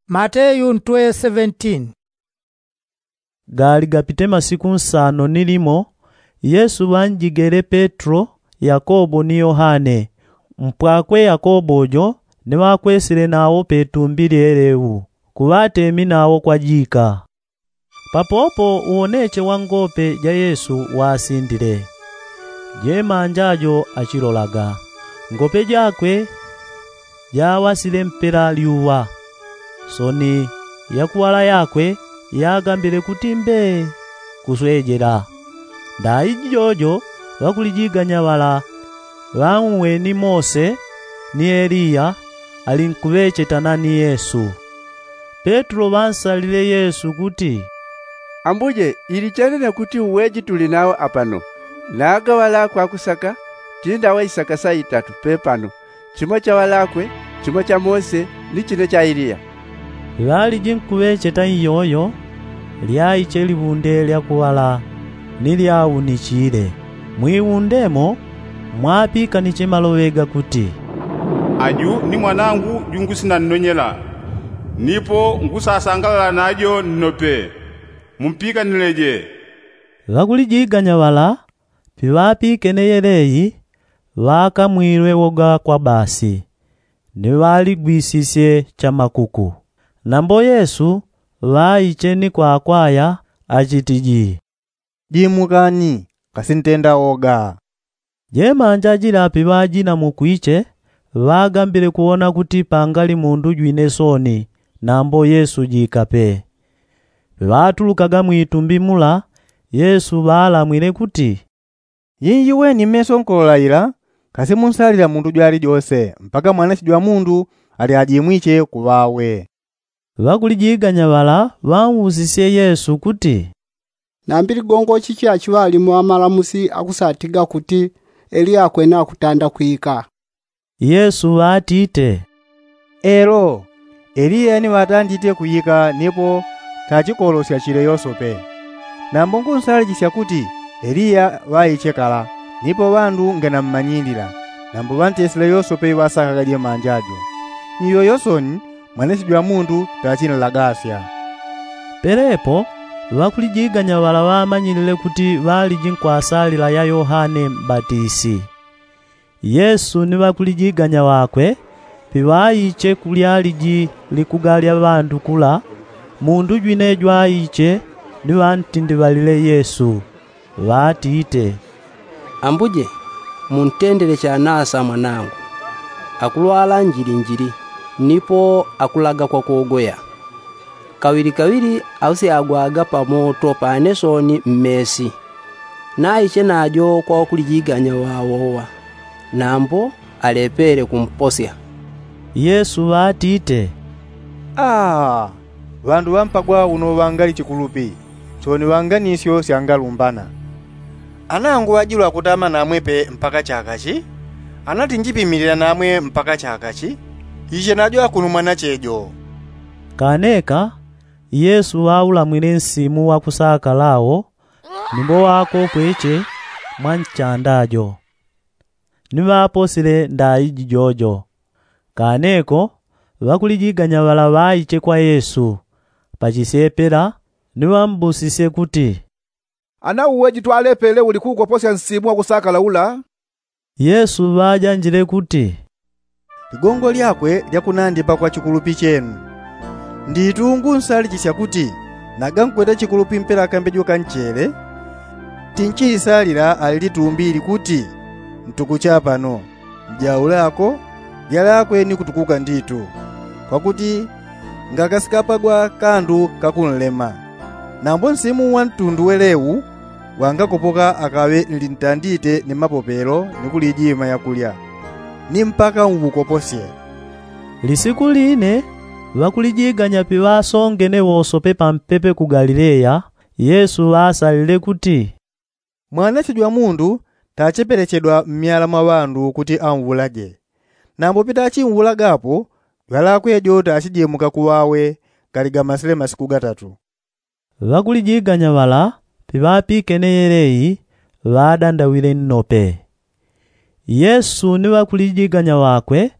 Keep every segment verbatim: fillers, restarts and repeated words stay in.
Mateyu ntwe seventeen. Gali gapite masiku nsano ni limo, yesu ŵanjigele petro, yakobo ni yohane, mpwakwe yakobo jo, ni ŵakwesile nawo petumbi lyeleu, kuŵatemi nawo kwajika. Papopo uwoneche wa ngope ja yesu wasindile, jemanja jo achilolaga, ngope jakwe jawasile mpela lyuŵa, soni ya kuŵala yakwe yagambile kuti mbee, kuswejela. Ndaiji jojo ŵakulijiganya ŵala ŵauweni mose ni eliya, alinkuŵecheta nani yesu. Petro ŵansalile yesu kuti, ambuje, ili chene ne kuti uweji tuli nawo apano, naga ŵalakwe akusaka tindawa isaka saitatu pepano, chimo cha ŵalakwe, chimo cha mose, ni chine cha eliya. Ŵaliji nkuŵecheta iyoyo, lyaiche liŵunde lya kuŵala ni lyaunichile. Mwiwundemo mwapikaniche maloŵe gakuti, aju ni mwanangu jungusinannonyela, nipo ngusasangalala najo nnope. Mumpikanileje. Ŵakulijiganya ŵala piŵapikene yeleyi, ŵakamwilwe woga kwa basi, ni ŵaligwisisye chamakuku. Nambo yesu ŵaiche ni kwakwaya, achitiji, jimukani, kasintenda woga. Jemanja jila piŵajinamukwiche, ŵagambile kuwona kuti pangali mundu jwine soni, nambo yesu jikape. Piŵatulukaga mwitumbi mula, yesu ŵalamwile kuti, yinjiweni mmeso nkolola ila, kasi munsalila mundu jwalijose mpaka mwanache jwa mundu ali ajimwiche kuŵawe. Ŵakulijiganya ŵala ŵausisye yesu kuti, nambi ligongo chichi achiŵalimo amalamusi akusatiga kuti eliya akwene akutanda kwika? Yesu ŵatite, elo, eliya ni ŵatandite kwika nipo tachikolosya chile yosope. Nambo ngunsalichisya kuti eliya ŵaiche kala, nipo ŵandu nganammanyilila, nambo ŵantesile yosope iŵasakaga jemanja jo. Iyoyo soni mwanache jwa mundu tachinlagasya. Pelepo ŵakulijiganya ŵala ŵamanyilile kuti ŵaliji nkwasalila ya yohane mbatisi. Yesu ni ŵakulijiganya ŵakwe piŵaiche kulyaliji likuga lya ŵandu kula, mundu jwine jwaiche ni ŵantindiŵalile yesu, ŵatite, ambuje, muntendele chanasa mwanangu, akulwala njilinjili, nipo akulaga kwa kogoya. Kaŵilikaŵili ausyagwaga pamoto pane soni mmesi. Naiche najo kwa ŵakulijiganya ŵawowa, nambo alepele kumposya. Yesu ŵatite, aa, ŵandu ŵampagwa uno ŵangali chikulupi, soni ŵanganisyo syangalumbana. Ana nguŵajilwa kutama namwe pe mpaka chaka chi? Ana tinjipimilila namwe mpaka chaka chi? Iche najo akunu mwanache jo. Kaneka yesu ŵaulamwile nsimu wakusakala wo, nimbo ŵakopweche mwa nchanda jo, ni ŵaposile ndaiji jojo. Kaneko ŵakulijiganya ŵala ŵaiche kwa yesu pachisyepela, ni ŵambusisye kuti, ana uweji twalepele uli kuukoposya nsimu wakusakala ula? Yesu ŵajanjile kuti, ligongo lyakwe lyakunandipa kwa chikulupi chenu. Nditu ngunsalichisya kuti naga nkwete chikulupi mpela kambejo ka nchele, tinchiisalila ali litumbi ili kuti, ntukucha pano, mjaule ako, lyalakwe ni kutukuka nditu. Kwakuti ngakasikapagwa kandu kakunlema. Nambo nsimu wa ntundu welewu wangakopoka akaŵe nlintandite ni mapopelo ni kulijima yakulya, ni mpaka nŵukoposye. Lisiku line ŵakulijiganya piŵasongene wosope pampepe ku galileya, yesu ŵasalile kuti, mwanache jwa mundu tachepelechedwa mmyala mwa ŵandu kuti anwulaje. Nambo pitachinwulagapo, jwalakwe jo tachijemuka kuŵawe, gali gamasile masiku gatatu. Ŵakulijiganya ŵala piŵapikene yeleyi, ŵadandawile nnope. Yesu ni ŵakulijiganya ŵakwe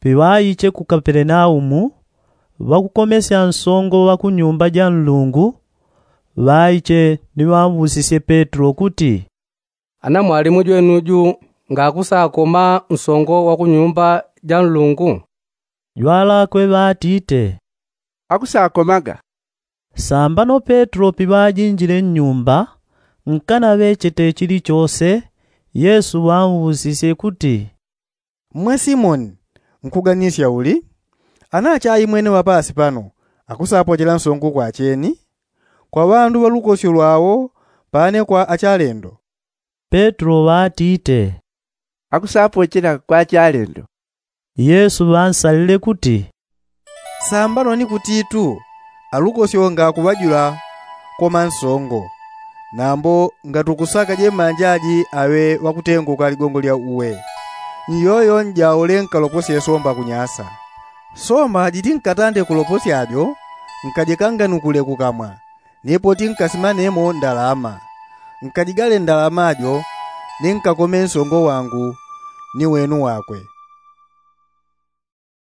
piŵaiche ku kapelenaumu, Ŵakukomesya nsongo wa ku nyumba ja nlungu ŵaiche ni ŵamwusisye petro kuti, ana mwalimu jwenuju ngakusakoma nsongo wa ku nyumba ja nlungu? Jwalakwe ŵatite, akusakomaga. Sambano petro piŵajinjile nnyumba nkanaŵechete chilichose, yesu ŵamwusisye kuti, mmwe simoni, nkuganisya uli? Ana achaimwene ŵapasi pano akusapochela nsongo kwa acheni, kwa ŵandu ŵa lukosyo lwao pane kwa achalendo? Petro ŵatite, akusapochela kwa achalendo. Yesu ŵansalile kuti, sambano ni kutitu alukosyo ngakuŵajula koma nsongo. Nambo ngatukusaka jemanja aji aŵe ŵakutenguka ligongo lya uwe, nyoyo njaule nkaloposye somba kunyasa. Somba jitinkatande kuloposya jo nkajikanganukule kukamwa, ni poti nkasimanemo ndalama. Nkajigale ndalama jo ni nkakome nsongo wangu ni wenu wakwe.